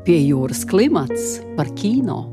Pie jūras klimats par kino.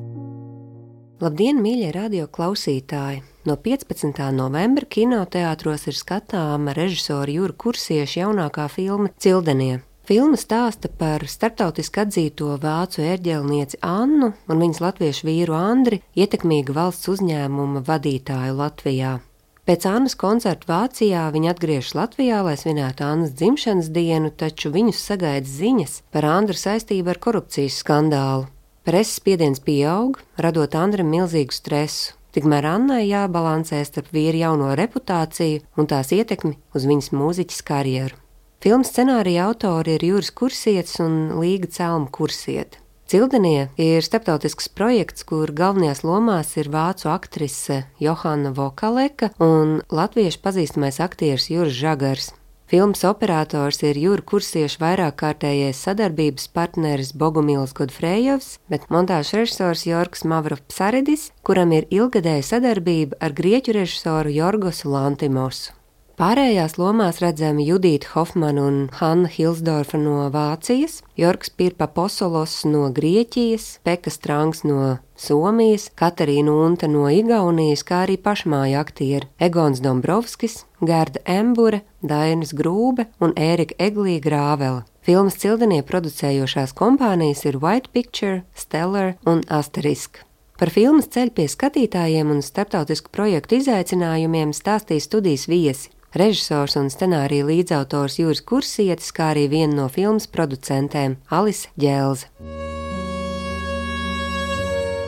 Labdien, mīļie radio klausītāji! No 15. novembra kinoteātros ir skatāma režisora Jura Kursieša jaunākā filma Cildenie. Filma stāsta par starptautiski atzīto vācu ērģelnieci Annu un viņas latviešu vīru Andri, ietekmīga valsts uzņēmuma vadītāju Latvijā. Pēc Annas koncerta Vācijā viņi atgriežas Latvijā, lai svinētu Annas dzimšanas dienu, taču viņus sagaida ziņas par Andra saistību ar korupcijas skandālu. Preses spiediens pieaug, radot Andram milzīgu stresu. Tikmēr Annai jābalansē starp vīra jauno reputāciju un tās ietekmi uz viņas mūziķas karjeru. Filmas scenārija autori ir Juris Kursietis un Līga Celma Kursiete. Cildenie ir starptautisks projekts, kur galvenajās lomās ir vācu aktrise Johanna Vokaleka un latviešu pazīstamais aktieris Juris Žagars. Filmas operators ir Jura Kursieša vairākkārtējais sadarbības partneris Bogumils Godfrejovs, bet montāžas režisors Jorgs Mavropsaridis, kuram ir ilgadēja sadarbība ar grieķu režisoru Jorgosu Lantimosu. Pārējās lomās redzami Judīta Hofmana un Hanna Hilsdorfa no Vācijas, Jorgs Pirpaposolos no Grieķijas, Peka Strangs no Somijas, Katarīna Unta no Igaunijas, kā arī pašmāja aktieri Egons Dombrovskis, Gerda Embure, Dainis Grūbe un Ērika Eglī Grāvela. Filmas Cildenie producējošās kompānijas ir White Picture, Stellar un Asterisk. Par filmas ceļu pie skatītājiem un starptautisku projektu izaicinājumiem stāstīja studijas viesi. Režisors un scenārija līdzautors Juris Kursietis, kā arī viena no filmas producentēm Alise Ģelze.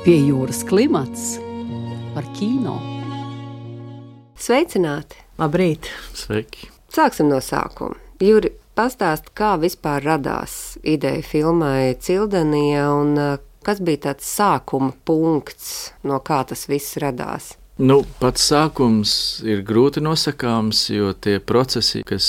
Pie jūras klimats par kino. Sveicināti! Labrīt! Sveiki! Sāksim no sākuma. Juri, pastāst, kā vispār radās ideja filmai Cildenie un kas bija tāds sākuma punkts, no kā tas viss radās? Pats sākums ir grūti nosakāms, jo tie procesi, kas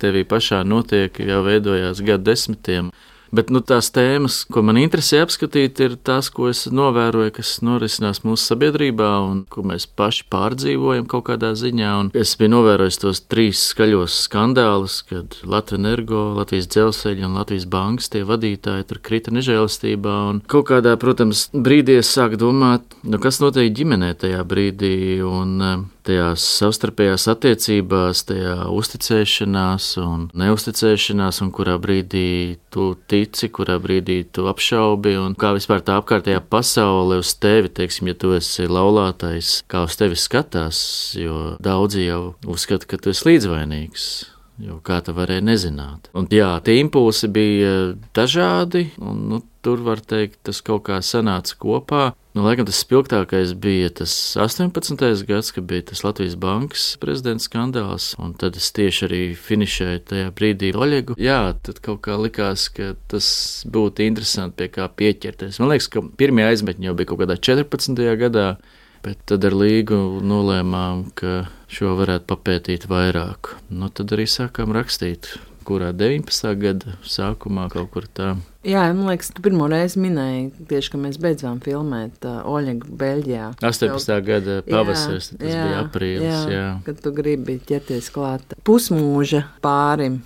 tevī pašā notiek, jau veidojās gadu desmitiem. Bet tās tēmas, ko man interesē apskatīt, ir tās, ko es novēroju, kas norisinās mūsu sabiedrībā un ko mēs paši pārdzīvojam kaut kādā ziņā. Un es biju novērojis tos 3 skaļos skandālus, kad Latvenergo, Latvijas Dzelzceļa un Latvijas bankas tie vadītāji tur krita nežēlistībā. Un kaut kādā, protams, brīdī es sāku domāt, kas notiek ģimenē tajā brīdī un tajās savstarpējās attiecībās, tajā uzticēšanās un neusticēšanās, un kurā brīdī tu tici, kurā brīdī tu apšaubi, un kā vispār tā apkārtējā pasaule uz tevi, teiksim, ja tu esi laulātais, kā uz tevi skatās, jo daudzi jau uzskata, ka tu esi līdzvainīgs. Jo kā tu varēja nezināt. Un jā, tie impulsi bija dažādi, un tur var teikt, tas kaut kā sanāca kopā. Laikam tas spilgtākais bija tas 18. gads, kad bija tas Latvijas bankas prezidenta skandāls, un tad es tieši arī finišēju tajā brīdī Oļegu. Jā, tad kaut kā likās, ka tas būtu interesanti pie kā pieķerties. Man liekas, ka pirmie aizmetņi jau bija kaut kādā 14. gadā, bet tad ar Līgu nolēmām, ka šo varētu papētīt vairāk. Tad arī sākām rakstīt, kurā 19. gada sākumā kaut kur tā. Jā, man liekas, tu pirmo reizi minēji tieši, ka mēs beidzām filmēt Oļegu Beļģijā. 18. gada pavasaris, tas bija aprīlis. Jā, kad tu gribi ķerties klāt pusmūža pārim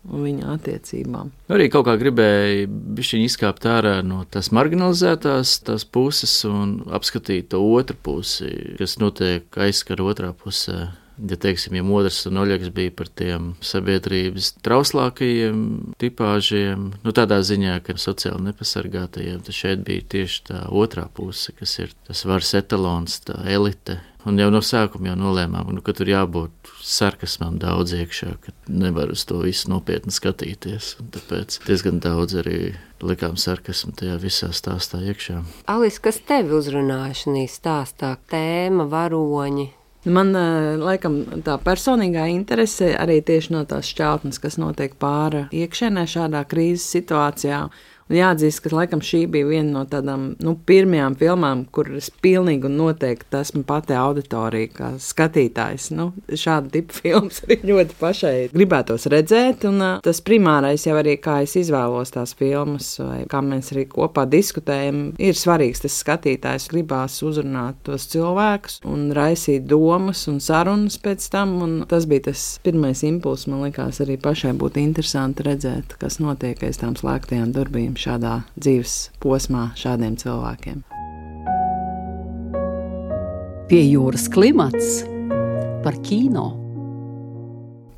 un viņa attiecībām. Arī kaut kā gribēja bišķiņ izkāpt ārā no tās marginalizētās tās puses un apskatīt to otru pusi, kas notiek aizskar otrā pusē. Ja teiksim, ja Modrs un Oļegs bija par tiem sabiedrības trauslākajiem tipāžiem, tādā ziņā, ka sociāli nepasargātajiem, tad šeit bija tieši tā otrā puse, kas ir tas varas etalons, tā elite. Un jau no sākuma jau nolēmām, ka tur jābūt sarkasmam daudz iekšā, ka nevar uz to visu nopietni skatīties. Un tāpēc diezgan daudz arī likām sarkasmu tajā visā stāstā iekšā. Alis, kas tevi uzrunāja šī stāstā? Tēma, varoņi? Man, laikam, tā personīgā interese arī tieši no tās šķautnes, kas notiek pāri iekšēnē šādā krīzes situācijā. Un jāatzīst, ka laikam šī bija viena no tādām pirmajām filmām, kur es pilnīgi un noteikti esmu pati auditorija, kā skatītājs. Šāda tipa filmas arī ļoti pašai gribētos redzēt, un tas primārais jau arī, kā es izvēlos tās filmas, vai kā mēs arī kopā diskutējam, ir svarīgs tas skatītājs, gribās uzrunāt tos cilvēkus un raisīt domas un sarunas pēc tam, un tas bija tas pirmais impulss, man likās arī pašai būtu interesanti redzēt, kas notiek aiz tām slēgtajām durvīm šādā dzīves posmā šādiem cilvēkiem. Pie jūras klimats par kino.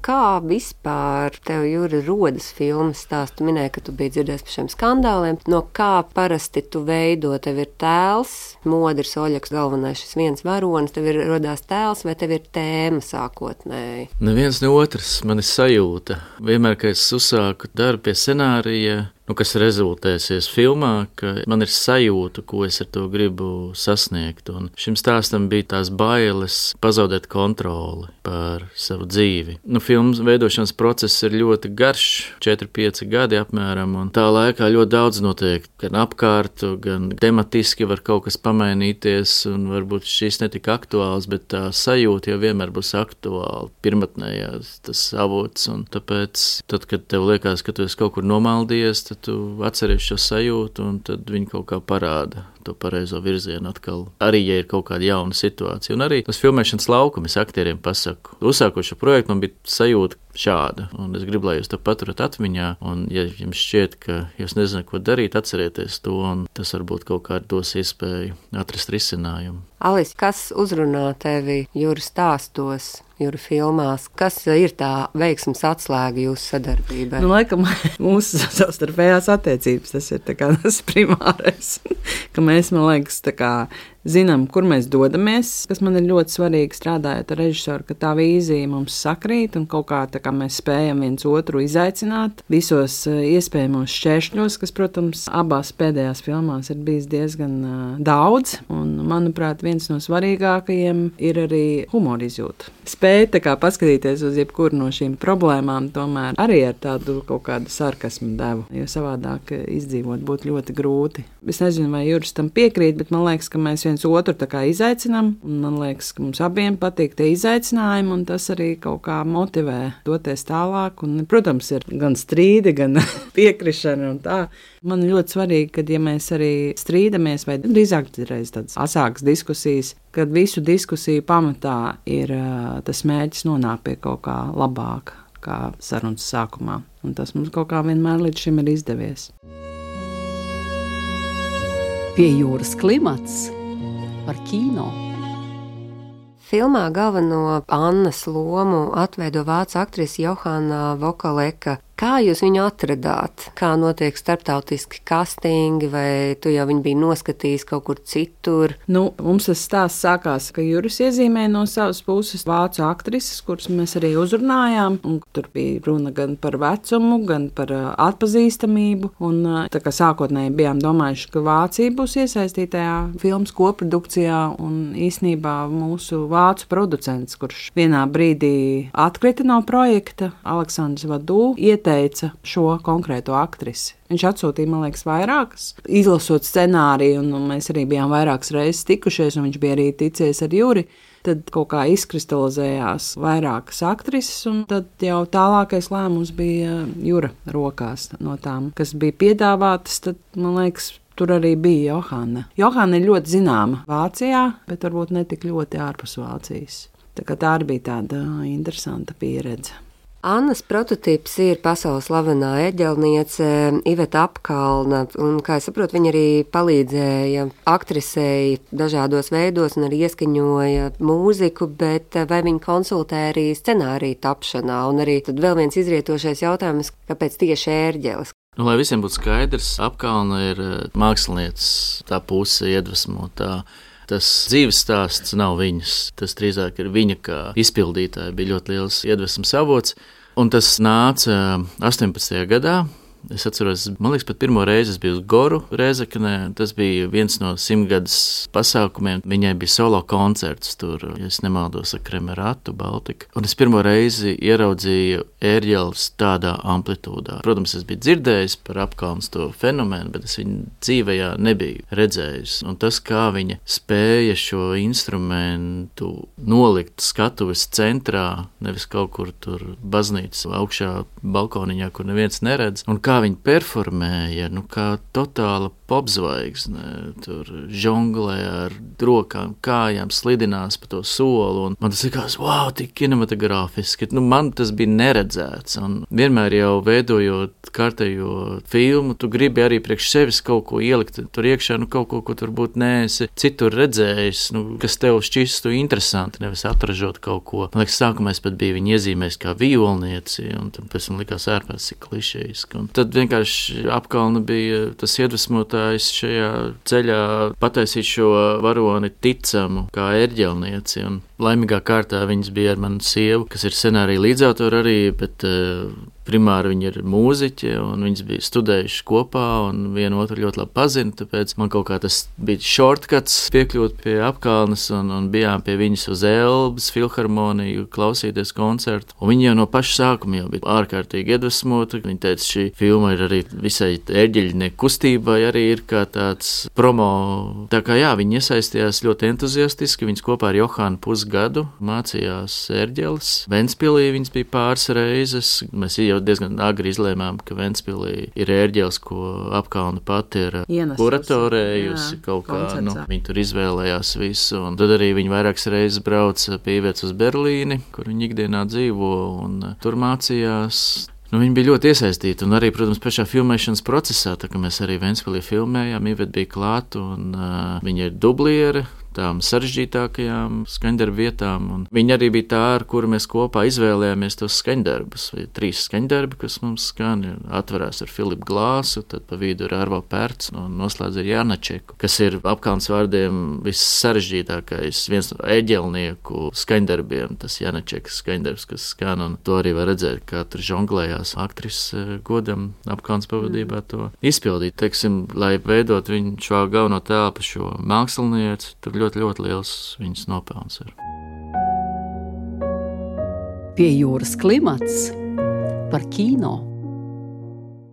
Kā vispār tev, Juri, rodas filmas stāsts? Tu minēji, ka tu biji dzirdējis par šiem skandāliem. No kā parasti tu veido? Tev ir tēls, Modris Oļaks galvenais, šis viens varonis, tev ir rodās tēls vai tev ir tēma sākotnēji? Neviens ne otrs, man ir sajūta. Vienmēr, kad es uzsāku darbu pie scenārija, kas rezultēsies filmā, ka man ir sajūta, ko es ar to gribu sasniegt. Un šim stāstam bija tās bailes pazaudēt kontroli pār savu dzīvi. Filmas veidošanas process ir ļoti garš, 4-5 gadi apmēram, un tā laikā ļoti daudz notiek. Gan apkārt, gan tematiski var kaut kas pamainīties, un varbūt šis netika aktuāls, bet tā sajūta jau vienmēr būs aktuāla, pirmatnējās tas avots. Un tāpēc, tad, kad tev liekas, ka tu esi kaut kur nomaldies, tad tu atceries šo sajūtu, un tad viņi kaut kā parāda to pareizo virzienu atkal. Arī, ja ir kaut kāda jauna situācija. Un arī tas filmēšanas laukums, es aktieriem pasaku. Uzsākot šo projektu, man bija sajūta šāda, un es gribu, lai jūs to paturat atmiņā, un ja jums šķiet, ka jūs nezināt, ko darīt, atcerieties to, un tas varbūt kaut kā dos iespēju atrast risinājumu. Alis, kas uzrunā tevi Juri stāstos, Juri filmās? Kas ir tā veiksmes atslēga jūsu sadarbībai? Laikam mūsu savstarpējās attiecības, tas ir tas primārais, ka mēs, man liekas, zinām, kur mēs dodamies, kas man ir ļoti svarīgi strādājot ar režisoru, ka tā vīzija mums sakrīt un kaut kā mēs spējam viens otru izaicināt visos iespējamos šķēršļos, kas, protams, abās pēdējās filmās ir bijis diezgan daudz, un, manuprāt, viens no svarīgākajiem ir arī humora izjūta. Spēt paskatīties uz jebkuru no šīm problēmām, tomēr arī ar tādu kaut kādu sarkasmu devu, jo savādāk izdzīvot būtu ļoti grūti. Es nezinu, vai Juris tam piekrīt, bet man liekas, ka mēs viens otru izaicinām, un man liekas, ka mums abiem patīk tie izaicinājumi, un tas arī kaut kā motivē doties tālāk, un, protams, ir gan strīdi, gan piekrišana un tā. Man ļoti svarīgi, kad, ja mēs arī strīdamies, vai drīzāk reiz tādas asākas diskusijas, kad visu diskusiju pamatā ir tas mērķis nonākt pie kaut kā labāka, kā sarunas sākumā, un tas mums kaut kā vienmēr līdz šim ir izdevies. Pie jūras klimats par kino. Filmā galveno Annas lomu atveido vācu aktrise Johana Vokaleka. Kā jūs viņu atradāt? Kā notiek starptautiski kastingi, vai tu jau viņu biji noskatījis kaut kur citur? Mums tas stāsts sākās, ka Juris iezīmēja no savas puses vācu aktrises, kuras mēs arī uzrunājām, un tur bija runa gan par vecumu, gan par atpazīstamību, un tā kā sākotnēji bijām domājuši, ka Vācija būs iesaistītajā filmas koprodukcijā, un īsnībā mūsu vācu producents, kurš vienā brīdī atkrita no projekta, Aleksandrs Vadū, ieteica šo konkrēto aktrisi. Viņš atsūtīja, man liekas, vairākas, izlasot scenāriju, un mēs arī bijām vairākas reizes tikušies, un viņš bija arī ticies ar Juri. Tad kaut kā izkristalizējās vairākas aktrises, un tad jau tālākais lēmums bija Jura rokās no tām, kas bija piedāvātas, tad, man liekas, tur arī bija Johana. Johana ir ļoti zināma Vācijā, bet varbūt ne tik ļoti ārpus Vācijas. Tā arī bija tāda interesanta pieredze. Annas prototyps ir pasaules slavenā eģelniece Iveta Apkalna, un, kā es saprotu, viņa arī palīdzēja aktrisei dažādos veidos un arī ieskaņoja mūziku, bet vai viņa konsultē arī scenāriju tapšanā, un arī tad vēl viens izrietošais jautājums, kāpēc tieši ērģeles? Lai visiem būtu skaidrs, Apkalna ir mākslinieces, tā puse iedvesmotā. Tas dzīves stāsts nav viņas, tas drīzāk ir viņa kā izpildītāja, bija ļoti liels iedvesmas avots, un tas nāca 18. gadā. Es atceros, man liekas, pat pirmo reizi es biju uz Goru Rēzeknē. Tas bija viens no 100-gadas pasākumiem. Viņai bija solo koncerts tur, ja es nemaldos, ar Kremeratu, Baltiku. Un es pirmo reizi ieraudzīju ērģeles tādā amplitūdā. Protams, es biju dzirdējis par Apkalnas to fenomenu, bet es viņu dzīvējā nebiju redzējis. Un tas, kā viņa spēja šo instrumentu nolikt skatuves centrā, nevis kaut kur tur baznīcas augšā balkoniņā, kur neviens neredz, un kā viņi performēja, kā totāla popzvaigzne, tur žonglē ar rokām, kājām, slidinās pa to soli, un man tas likās, wow, tik kinematogrāfiski, man tas bija neredzēts, un vienmēr jau veidojot kārtējo filmu, tu gribi arī priekš sevis kaut ko ielikt tur iekšā, kaut ko tu varbūt neesi citur redzējis, kas tev šķistu interesanti, nevis atražot kaut ko. Man liekas, sākumā es pat biju viņu iezīmējis kā violnieci, un tad pēc tam likās ārpēc cik klišejiski. Un tad vienkārši Apkalna bija tas iedvesmotājs šajā ceļā pataisīt šo varoni ticamu kā ērģelnieci, un laimīgā kārtā viņas bija ar manu sievu, kas ir scenārija līdzautori arī, bet primāri viņi ir mūziķi, un viņas bija studējuši kopā, un vienu otru ļoti labi pazina, tāpēc man kaut kā tas bija shortcuts piekļūt pie Apkalnes, un bijām pie viņas uz Elbas filharmoniju klausīties koncertu, un viņa jau no paša sākuma jau bija ārkārtīgi iedvesmota. Viņa teica, šī filma ir arī visai ērģeļnieku kustībai, arī ir kā tāds promo. Tā kā jā, viņi iesaistījās ļoti entuziastiski, viņas kopā ar Johānu pusgadu mācījās ērģeles. Ventspilī viņas bija pāris reizes, mēs jau diezgan agri izlēmām, ka Ventspilī ir ērģeles, ko Apkalna pati ir kuratorējusi kaut kā, viņi tur izvēlējās visu, un tad arī viņi vairākas reizes brauca pīvēts uz Berlīni, kur viņi ikdienā dzīvo, un tur mācījās. Viņi bija ļoti iesaistīti, un arī, protams, pašā filmēšanas procesā, tā kā mēs arī Ventspilī filmējām, Iveta bija klāt, un viņa ir dubliere tām sarežģītākajām skaņdarbu vietām, un viņa arī bija tā, ar kuru mēs kopā izvēlējāmies tos skaņdarbus. 3 skaņdarbi, kas mums skan, atverās ar Filipu Glāsu, tad pa vidu ir Arvo Pērts, un noslēdz ar Janačeku, kas ir Apkalnes vārdiem viss sarežģītākais, viens no ēģelnieku skaņdarbiem, tas Janačekas skaņdarbs, kas skan, un to arī var redzēt, kā tur žonglējās aktrise godam Apkalnes pavadībā to izpildīt. Teiksim, lai veidot viņu šo galveno telpu, šo mākslinieci, tur ļoti, ļoti liels viņas nopelns ir. Pie jūras klimats par kino.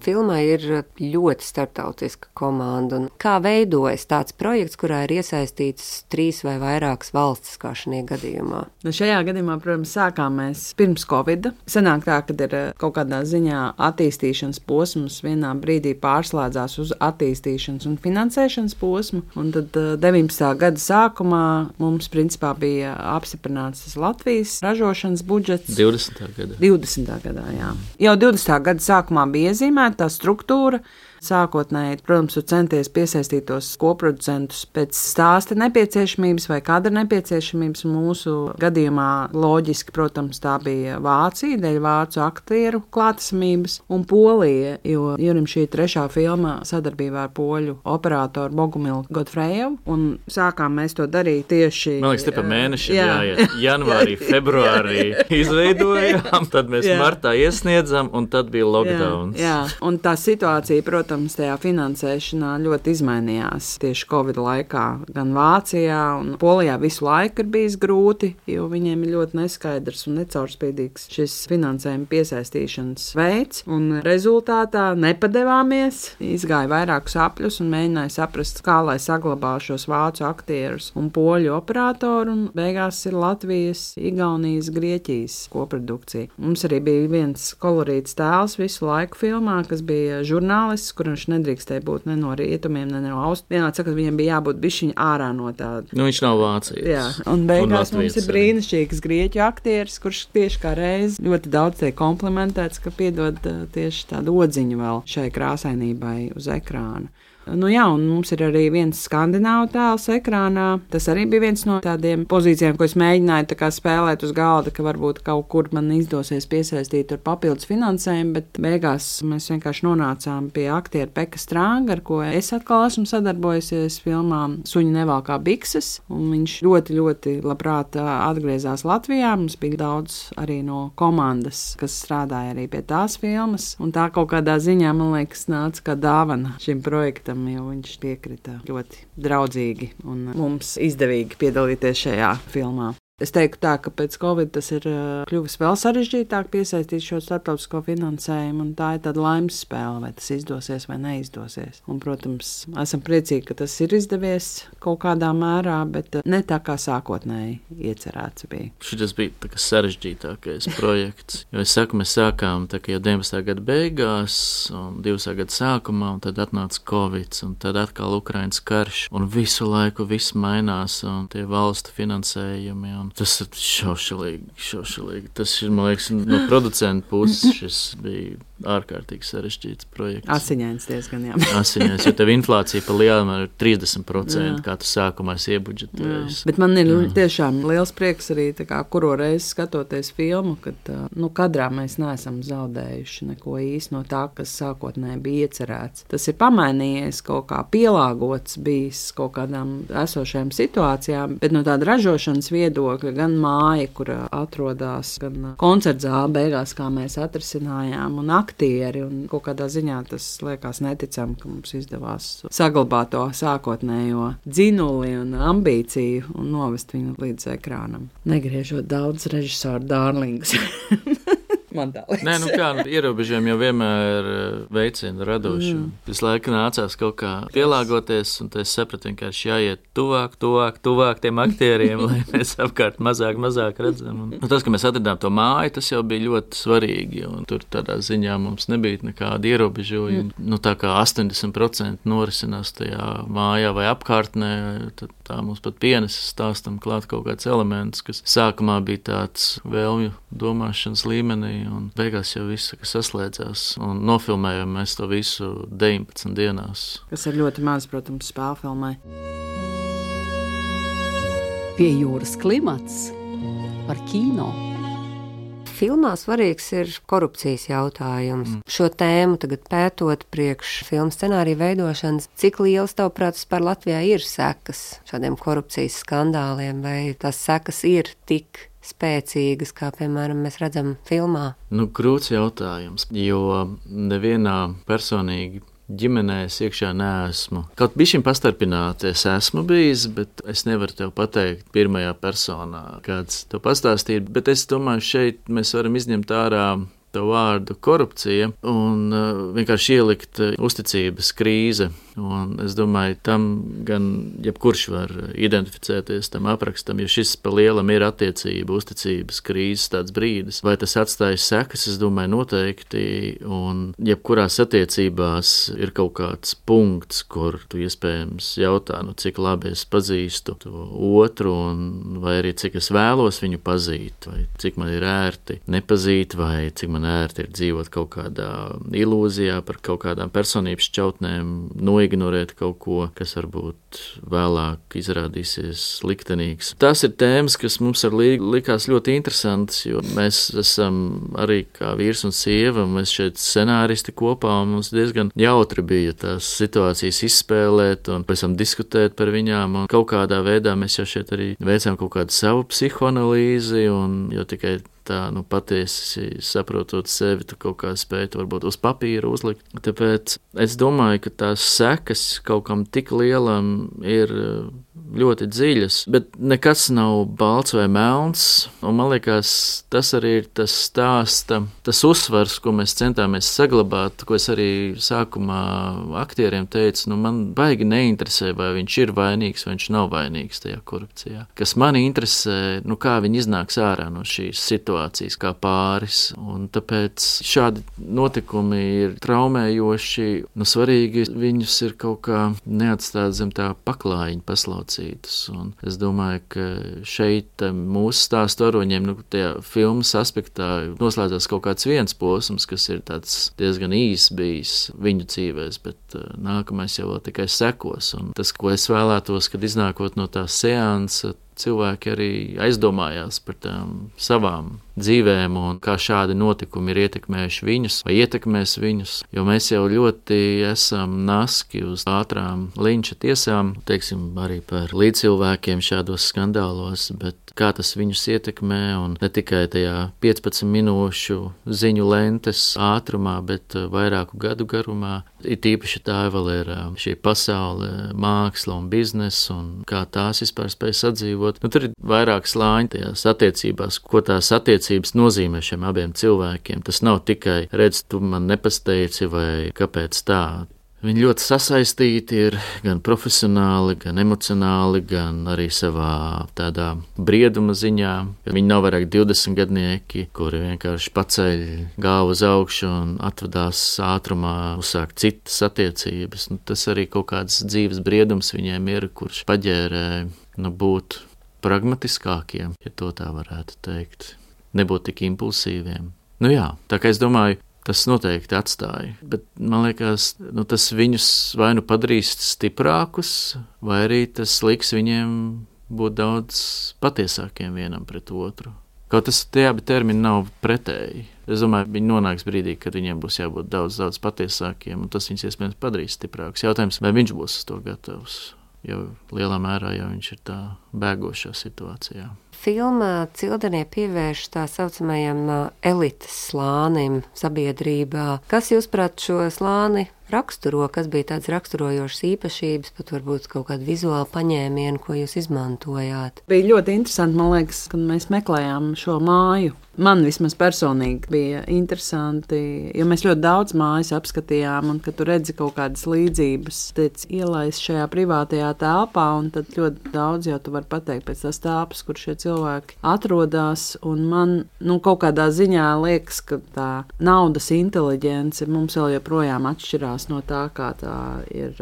Filmai ir ļoti starptautiska komanda. Un kā veidojas tāds projekts, kurā ir iesaistīts 3 vai vairākas valstis, kā šajā gadījumā? Šajā gadījumā, protams, sākām mēs pirms Covid. Sanāk tā, kad ir kaut kādā ziņā attīstīšanas posms, vienā brīdī pārslēdzās uz attīstīšanas un finansēšanas posmu. Un tad 19. gada sākumā mums principā bija apstiprināts tas Latvijas ražošanas budžets. 20. gadā, jā. Jau 20. gada sākumā bija iezīmēta tā struktūra. Sākotnēji, protams, centies piesaistīt tos koproducentus pēc stāsta nepieciešamības vai kadra nepieciešamības. Mūsu gadījumā loģiski, protams, tā bija Vācija, dēļ vācu aktieru klātesamības, un Polija, jo Jurim šī 3. filma sadarbībā ar poļu operatoru Bogumilu Godfrejevu, un sākām mēs to darīt tieši... Man liekas, te pa mēnešiem jāiet. Janvārī, februārī izveidojām, tad mēs martā iesniedzam, un tad bija lockdowns. Jā, un tā situācija, protams, tajā finansēšanā ļoti izmainījās tieši Covid laikā. Gan Vācijā un Polijā visu laiku ir bijis grūti, jo viņiem ir ļoti neskaidrs un necaurspīdīgs šis finansējuma piesaistīšanas veids. Un rezultātā nepadevāmies, izgāja vairākus apļus un mēģināja saprast, kā lai saglabā šos vācu aktierus un poļu operatoru, un beigās ir Latvijas, Igaunijas, Grieķijas koprodukcija. Mums arī bija viens kolorīts tēls visu laiku filmā, kas bija žurnālists, kur viņš nedrīkstēja būt ne no rietumiem, ne no austrumiem. Vienādi sakot, viņam bija jābūt bišķiņa ārā no tāda. Viņš nav vācietis. Jā, un beigās mums ir brīnišķīgs grieķu aktieris, kurš tieši kā reiz ļoti daudz tiek komplimentēts, ka piedod tieši tādu odziņu vēl šai krāsainībai uz ekrāna. Un mums ir arī viens skandināvu tēls ekrānā. Tas arī bija viens no tādiem pozīcijām, ko es mēģināju spēlēt uz galda, ka varbūt kaut kur man izdosies piesaistīt ar papildus finansējumu, bet beigās mēs vienkārši nonācām pie aktiera Peka Strānga, ar ko es atkal esmu sadarbojusies filmā Suņi nevalkā bikses, un viņš ļoti, ļoti labprāt atgriezās Latvijā. Mums bija daudz arī no komandas, kas strādāja arī pie tās filmas, un tā kaut kādā ziņā, man liekas, nāca kā dāvana šim projektam, jo viņš piekrita ļoti draudzīgi un mums izdevīgi piedalīties šajā filmā. Es teiktu tā, ka pēc Covid tas ir kļuvis vēl sarežģītāk piesaistīt šo starptautisko finansējumu, un tā ir tāda laimes spēle, vai tas izdosies vai neizdosies. Un, protams, esam priecīgi, ka tas ir izdevies kaut kādā mērā, bet ne tā kā sākotnēji iecerēts bija. Šis bija tā kā sarežģītākais projekts, jo es saku, mēs sākām tā kā jau 19. gada beigās un 20. gada sākumā, un tad atnāca Covid, un tad atkal Ukrainas karš, un visu laiku viss mainās, un tie valstu finansējumi, un tas ir šaušalīgi. Tas ir, man liekas, no producenta puses šis bija ārkārtīgi sarežģīts projekts. Asiņains diezgan, jā. Asiņains, jo tev inflācija pa lielām ir 30%, kā tu sākumā iebudžetējies. Bet man ir tiešām liels prieks arī, tā kā, kuro reizi skatoties filmu, kad, kadrā mēs neesam zaudējuši neko īsti no tā, kas sākotnēji bija iecerēts. Tas ir pamainījies, kaut kā pielāgots bijis kaut kādām esošajām situācijām, bet no tāda ražošanas viedokļa gan māja, kur atrodās, gan koncerts zāle beigās, kā mēs atrisinājām, un aktieri, un kaut kādā ziņā tas liekas neticam, ka mums izdevās saglabāt to sākotnējo dzinuli un ambīciju un novest viņu līdz ekrānam. Negriežot daudz režisoru dārlingus. Man tā liekas. Nē, kā, ierobežojumi jau vienmēr veicina radošu. Visu laiku nācās kaut kā pielāgoties, un es sapratu, ka jāiet tuvāk tiem aktieriem, lai mēs apkārt mazāk redzam. Un tas, ka mēs atradām to māju, tas jau bija ļoti svarīgi, un tur tādā ziņā mums nebija nekāda ierobežojuma. Tā kā 80% norisinās tajā mājā vai apkārtnē, tad tā mums pat pienesis stāstam klāt kaut kāds elements, kas sākumā bija tāds vēlmju domāšanas līmenī, un beigās jau viss saslēdzās, un nofilmējām mēs to visu 19 dienās. Kas ir ļoti maz, protams, spēlfilmai. Pie jūras klimats par kino. Filmā svarīgs ir korupcijas jautājums. Šo tēmu tagad pētot priekš filmu scenāriju veidošanas, cik liels tavuprāt par Latvijā ir sekas šādiem korupcijas skandāliem, vai tās sekas ir tik spēcīgas, kā, piemēram, mēs redzam filmā? Grūts jautājums, jo nevienā personīgi ģimenē es iekšā neesmu. Kaut bišķiņ pastarpināti es esmu bijis, bet es nevaru tev pateikt pirmajā personā, kāds tev pastāstīt, bet es domāju, šeit mēs varam izņemt ārā to vārdu korupcija un vienkārši ielikt uzticības krīze. Un es domāju, tam gan jebkurš var identificēties tam aprakstam, jo šis pa lielam ir attiecība, uzticības krīzes tāds brīdis. Vai tas atstājas sekas, es domāju, noteikti, un jebkurās attiecībās ir kaut kāds punkts, kur tu iespējams jautā, cik labi es pazīstu to otru, un vai arī cik es vēlos viņu pazīt, vai cik man ir ērti nepazīt, vai cik man ērti ir dzīvot kaut kādā ilūzijā par kaut kādām personības šķautnēm, ignorēt kaut ko, kas varbūt vēlāk izrādīsies liktenīgs. Tās ir tēmas, kas mums likās ļoti interesantas, jo mēs esam arī kā vīrs un sieva, mēs šeit scenāristi kopā, un mums diezgan jautri bija tās situācijas izspēlēt un pēc tam diskutēt par viņām, un kaut kādā veidā mēs jau šeit arī veicām kaut kādu savu psihoanalīzi, un jau tikai tā, patiesi saprotot sevi, tu kaut kā spētu varbūt uz papīra uzlikt. Tāpēc es domāju, ka tās sekas kaut kam tik lielam ir ļoti dziļas, bet nekas nav balts vai melns, un man liekas, tas arī ir tas stāsta, tas uzsvars, ko mēs centāmies saglabāt, ko es arī sākumā aktieriem teicu, man baigi neinteresē, vai viņš ir vainīgs, vai viņš nav vainīgs tajā korupcijā. Kas mani interesē, kā viņi iznāks ārā no šīs situācijas kā pāris, un tāpēc šādi notikumi ir traumējoši, svarīgi viņus ir kaut kā neatstāt zem tā paklājiņa paslaucītas, un es domāju, ka šeit mūsu stāstu varoņiem, tajā filmas aspektā noslēdzās kaut kāds viens posms, kas ir tāds diezgan īs bijis viņu dzīvēs, bet nākamais jau vēl tikai sekos, un tas, ko es vēlētos, kad iznākot no tā seansa, cilvēki arī aizdomājās par tām savām dzīvēm un kā šādi notikumi ir ietekmējuši viņus vai ietekmēs viņus. Jo mēs jau ļoti esam naski uz ātrām linča tiesām, teiksim, arī par līdzcilvēkiem šādos skandālos, bet kā tas viņus ietekmē un ne tikai tajā 15 minūšu ziņu lentes ātrumā, bet vairāku gadu garumā. Ir tīpaši tā vēl ir šī pasaule, māksla un biznesa un kā tās vispār spēj sadzīvot. Tur ir vairāk slāņi tajās attiecībās, ko tās attiecības nozīmē šiem abiem cilvēkiem. Tas nav tikai redz, tu man nepasteidzi vai kāpēc tā. Viņi ļoti sasaistīti ir gan profesionāli, gan emocionāli, gan arī savā tādā brieduma ziņā. Viņi nav vairāk 20 gadnieki, kuri vienkārši paceļ galvu uz augšu un atvadās ātrumā uzsākt citas attiecības. Tas arī kaut kāds dzīves briedums viņiem ir, kurš paģērē būt pragmatiskākiem, ja to tā varētu teikt. Nebūt tik impulsīviem. Jā, tā kā es domāju, tas noteikti atstāja, bet man liekas, tas viņus vai nu padarīs stiprākus, vai arī tas liks viņiem būt daudz patiesākiem vienam pret otru. Kaut tas tie abi termini nav pretēji. Es domāju, viņi nonāks brīdī, kad viņiem būs jābūt daudz patiesākiem, un tas viņus iespējams padarīs stiprākus. Jautājums, vai viņš būs uz to gatavs, jo lielā mērā jau viņš ir tā bēgošā situācijā. Filmā Cildenie pievērš tā saucamajam elites slānim sabiedrībā. Kas, jūsuprāt, šo slāni raksturo? Kas bija tāds raksturojošs īpašības, pat varbūt kaut kādu vizuālu paņēmienu, ko jūs izmantojāt? Bija ļoti interesanti, man liekas, kad mēs meklējām šo māju. Man vismaz personīgi bija interesanti, jo mēs ļoti daudz mājas apskatījām, un kad tu redzi kaut kādas līdzības, tiec ielaist šajā privātajā telpā, un tad ļoti daudz jau tu vari pateikt pēc tās telpas, kur šie cilvēki atrodas, un man kaut kādā ziņā liekas, ka tā naudas inteliģence mums vēl joprojām atšķirās no tā, kā tā ir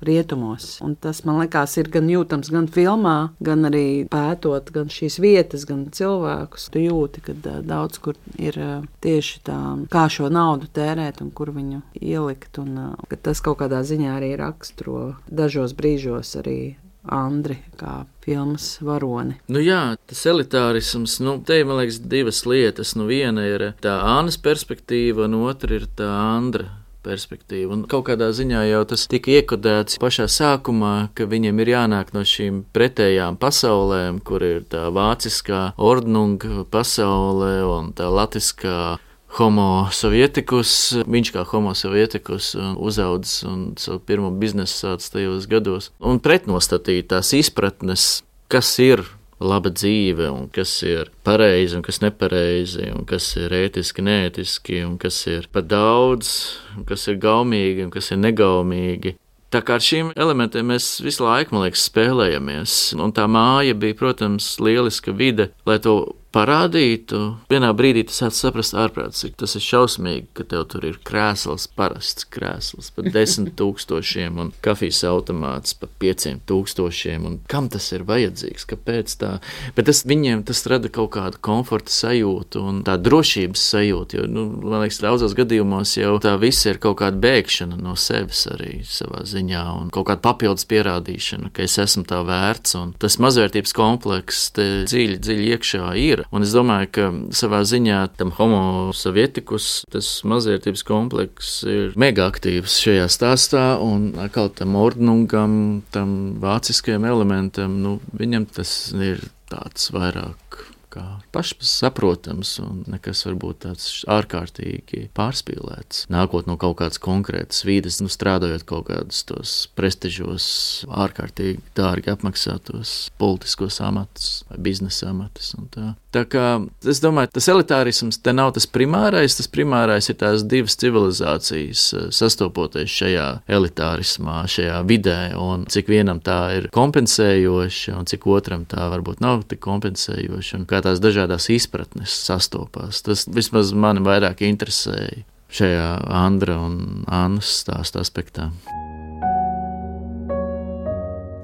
rietumos. Un tas, man liekas, ir gan jūtams gan filmā, gan arī pētot gan šīs vietas, gan cilvēkus. Tu jūti, ka daudz kur ir tieši tā, kā šo naudu tērēt un kur viņu ielikt, un ka tas kaut kādā ziņā arī raksturo dažos brīžos arī Andri kā filmas varoni. Jā, tas elitārisms, te ir, man liekas, divas lietas. Viena ir tā Annas perspektīva, un otra ir tā Andra perspektīva. Un kaut kādā ziņā jau tas tika iekodēts pašā sākumā, ka viņiem ir jānāk no šīm pretējām pasaulēm, kur ir tā vāciskā ordnung pasaule un tā latiskā homo sovietikus. Viņš kā homo sovietikus uzaudzis un savu pirmo biznesu sācis tajos gados. Un pretnostatīt tās izpratnes, kas ir laba dzīve, un kas ir pareizi, un kas nepareizi, un kas ir ētiski, neētiski, un kas ir par daudz, un kas ir gaumīgi, un kas ir negaumīgi. Tā kā ar šīm elementiem mēs visu laiku, man liekas, spēlējamies. Un tā māja bija, protams, lieliska vide, lai to parādītu. Vienā brīdī tas sāc saprast ārprāts, cik tas ir šausmīgi, ka tev tur ir krēsls, parasts krēsls par 10 000 un kafijas automāts par 5 000. Un kam tas ir vajadzīgs? Kāpēc tā? Bet viņiem tas rada kaut kādu komforta sajūtu un tā drošības sajūtu, jo, man liekas, daudzos gadījumos jau tā viss ir kaut kāda bēgšana no sevis arī savā ziņā un kaut kāda papildus pierādīšana, ka es esmu tā vērts, un tas mazvērtības komplekss te dziļi iekšā ir. Un es domāju, ka savā ziņā tam homo sovietikus tas mazvērtības komplekss ir mega aktīvs šajā stāstā, un atkal tam ordnungam, tam vāciskajam elementam, viņam tas ir tāds vairāk kā pašsaprotams un nekas varbūt tāds ārkārtīgi pārspīlēts. Nākot no kaut kādas konkrētas vīdes, strādājot kaut kādus tos prestižos, ārkārtīgi dārgi apmaksātos politiskos amatus vai biznesa amatus un tā. Tā kā es domāju, tas elitārisms te nav tas primārais ir tās divas civilizācijas sastopoties šajā elitārismā, šajā vidē, un cik vienam tā ir kompensējoša un cik otram tā varbūt nav tik kompensējoša, un kā tās dažādās izpratnes sastopās. Tas vismaz mani vairāk interesēja šajā Andra un Annas stāsta aspektā.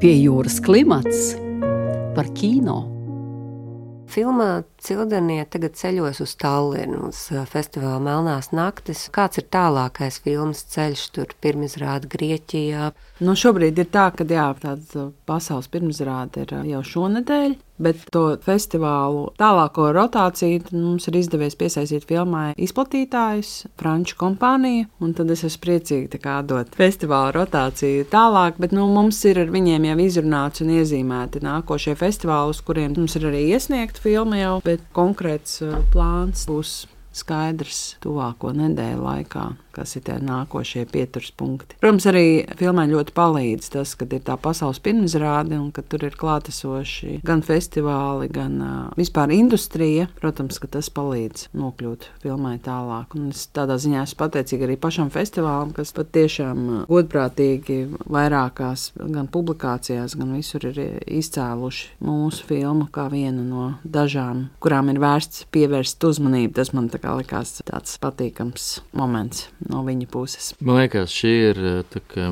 Pie jūras klimats par kino. Filmā Cildenie tagad ceļos uz Tallinu, uz festivālu Melnās naktis. Kāds ir tālākais filmas ceļš, tur pirmizrāde Grieķijā? Šobrīd ir tā, ka tāda pasaules pirmizrāde ir jau šonedēļ. bet to festivālu tālāko rotāciju mums ir izdevies piesaistīt filmai izplatītājus, franču kompāniju, un tad es esmu priecīgi dot festivāla rotāciju tālāk, bet mums ir ar viņiem jau izrunāts un iezīmēti nākošie festivāli, uz kuriem mums ir arī iesniegta filma jau, bet konkrēts plāns būs skaidrs tuvāko nedēļu laikā, kas ir tie nākošie pieturas punkti. Protams, arī filmai ļoti palīdz tas, kad ir tā pasaules pirmizrāde un ka tur ir klātesoši gan festivāli, gan vispār industrija. Protams, ka tas palīdz nokļūt filmai tālāk. Un es tādā ziņā esmu pateicīga arī pašam festivālam, kas pat tiešām godprātīgi vairākās gan publikācijās, gan visur ir izcēluši mūsu filmu kā vienu no dažām, kurām ir vērsts pievērst uzmanību. Tas man likās tāds patīkams moments no viņa puses. Man liekas, šī ir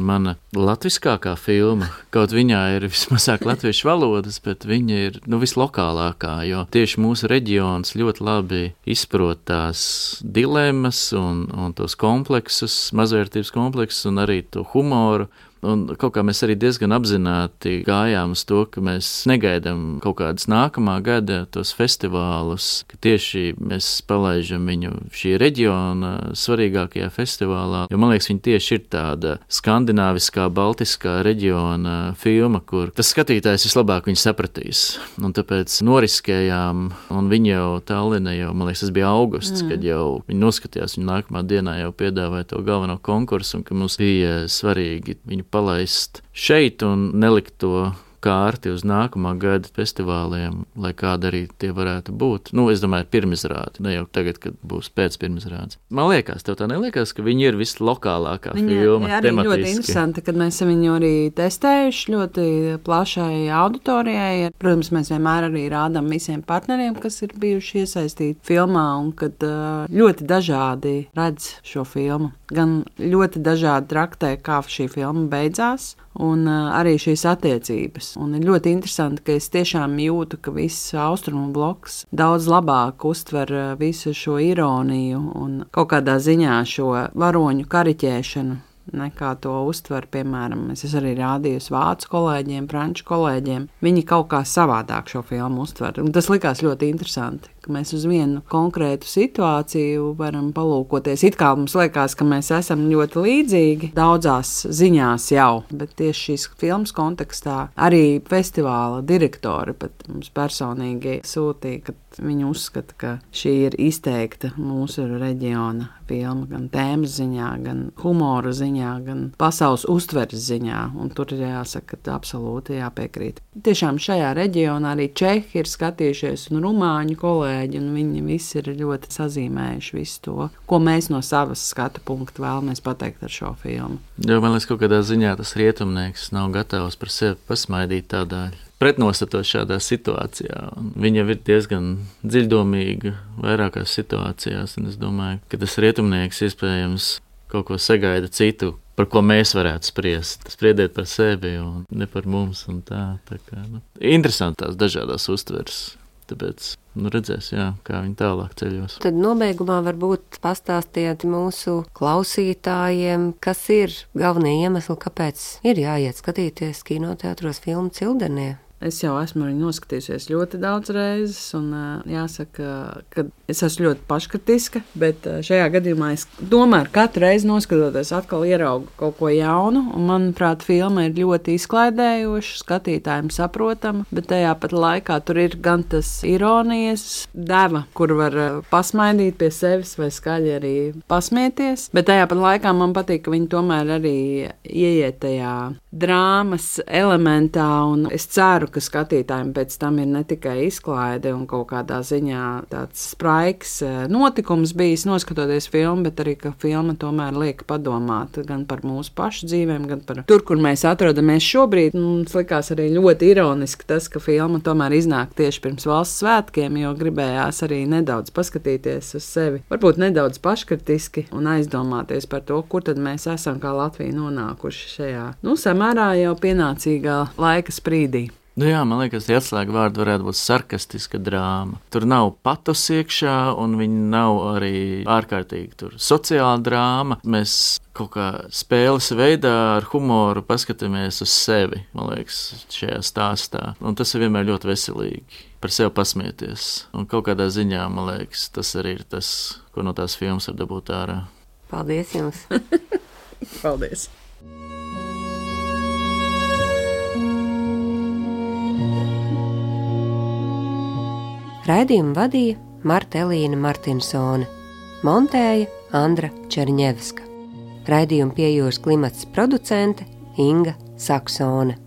mana latviskākā filma. Kaut viņā ir vismazāk latviešu valodas, bet viņa ir vislokālākā, jo tieši mūsu reģions ļoti labi izprot tās dilemmas un tos kompleksus, mazvērtības kompleksus un arī to humoru. Un kaut kā mēs arī diezgan apzināti gājām uz to, ka mēs negaidām kaut kādas nākamā gada tos festivālus, ka tieši mēs palaižam viņu šī reģiona svarīgākajā festivālā, jo man liekas, viņa tieši ir tāda skandināviskā, baltiskā reģiona filma, kur tas skatītājs vislabāk viņu sapratīs. Un tāpēc noriskējām, un viņa jau Tallinā jau, man liekas, tas bija augusts, kad jau viņi noskatījās, viņa nākamā dienā jau piedāvāja to galveno konkursu, un ka mums bija svarīgi viņu palaist šeit un nelikt to kārti uz nākamā gada festivāliem, lai kāda arī tie varētu būt. Es domāju, pirmizrādi, ne jau tagad, kad būs pēc pirmizrādes. Man liekas, tev tā neliekas, ka viņi ir vislokālākā filma arī tematiski. Ļoti interesanti, kad mēs viņu arī testējuši ļoti plašai auditorijai. Protams, mēs vienmēr arī rādām visiem partneriem, kas ir bijuši iesaistīti filmā, un kad ļoti dažādi redz šo filmu. Gan ļoti dažādi traktē, kā šī filma beidzās, un arī šīs attiecības. Un ir ļoti interesanti, ka es tiešām jūtu, ka viss austrumu bloks daudz labāk uztver visu šo ironiju un kaut kādā ziņā šo varoņu kariķēšanu, nekā to uztver, piemēram, es arī rādījusi vācu kolēģiem, franču kolēģiem. Viņi kaut kā savādāk šo filmu uztver. Un tas likās ļoti interesanti, ka mēs uz vienu konkrētu situāciju varam palūkoties. It kā mums liekas, ka mēs esam ļoti līdzīgi daudzās ziņās jau, bet tieši šīs filmas kontekstā arī festivāla direktori pat mums personīgi sūtīja, ka viņi uzskata, ka šī ir izteikta mūsu reģiona filma gan tēmas ziņā, gan humora ziņā, gan pasaules uztveres ziņā, un tur ir jāsaka, ka absolūti jāpiekrīt. Tiešām šajā reģionā arī čehi ir skatījušies un rumāņu kolēģi, un viņi visi ir ļoti sazīmējuši visu to, ko mēs no savas skatu punkta vēlamies pateikt ar šo filmu. Jo man liekas, kaut kādā ziņā tas rietumnieks nav gatavs par sevi pasmaidīt tādā pretnostatot šādā situācijā. Viņa ir diezgan dziļdomīga vairākās situācijās, un es domāju, ka tas rietumnieks iespējams kaut ko sagaida citu, par ko mēs varētu spriest. Spriediet par sevi un ne par mums un tā kā, interesanti tās dažādās uztveres. Tāpēc, redzēs, kā viņi tālāk ceļos. Tad nobeigumā varbūt pastāstiet mūsu klausītājiem, kas ir galvenie iemesli, kāpēc ir jāiet skatīties kinoteātros filmu Cildenie. Es jau esmu viņu noskatījusies ļoti daudz reizes, un jāsaka, ka es esmu ļoti paškritiska, bet šajā gadījumā es tomēr katru reizi noskatoties atkal ieraugu kaut ko jaunu, un manuprāt, filma ir ļoti izklaidējoša, skatītājiem saprotama, bet tajā pat laikā tur ir gan tas ironijas deva, kur var pasmaidīt pie sevis vai skaļi arī pasmieties, bet tajā pat laikā man patīk, ka viņi tomēr arī ieiet tajā drāmas elementā, un es ceru, ka skatītājiem pēc tam ir ne tikai izklaide un kaut kādā ziņā tāds spraigs notikums bijis noskatoties filmu, bet arī, ka filma tomēr liek padomāt gan par mūsu pašu dzīvēm, gan par tur, kur mēs atrodamies šobrīd. Mums likās arī ļoti ironiski tas, ka filma tomēr iznāk tieši pirms valsts svētkiem, jo gribējās arī nedaudz paskatīties uz sevi, varbūt nedaudz paškritiski un aizdomāties par to, kur tad mēs esam kā Latvija nonākuši šajā, samērā jau pienācīgā laika sprīdī. Nu jā, man liekas, tie atslēga vārdi varētu būt sarkastiska drāma. Tur nav patos iekšā, un viņi nav arī ārkārtīgi sociāla drāma. Mēs kaut kā spēles veidā ar humoru paskatāmies uz sevi, man liekas, šajā stāstā. Un tas ir vienmēr ļoti veselīgi par sevi pasmieties. Un kaut kādā ziņā, man liekas, tas arī ir tas, ko no tās filmas var dabūt ārā. Paldies jums! Paldies! Raidījumu vadīja Marta Elīna Martinsone, montēja Andra Čerņevska. Raidījumu Pie jūras klimats producente Inga Saksone.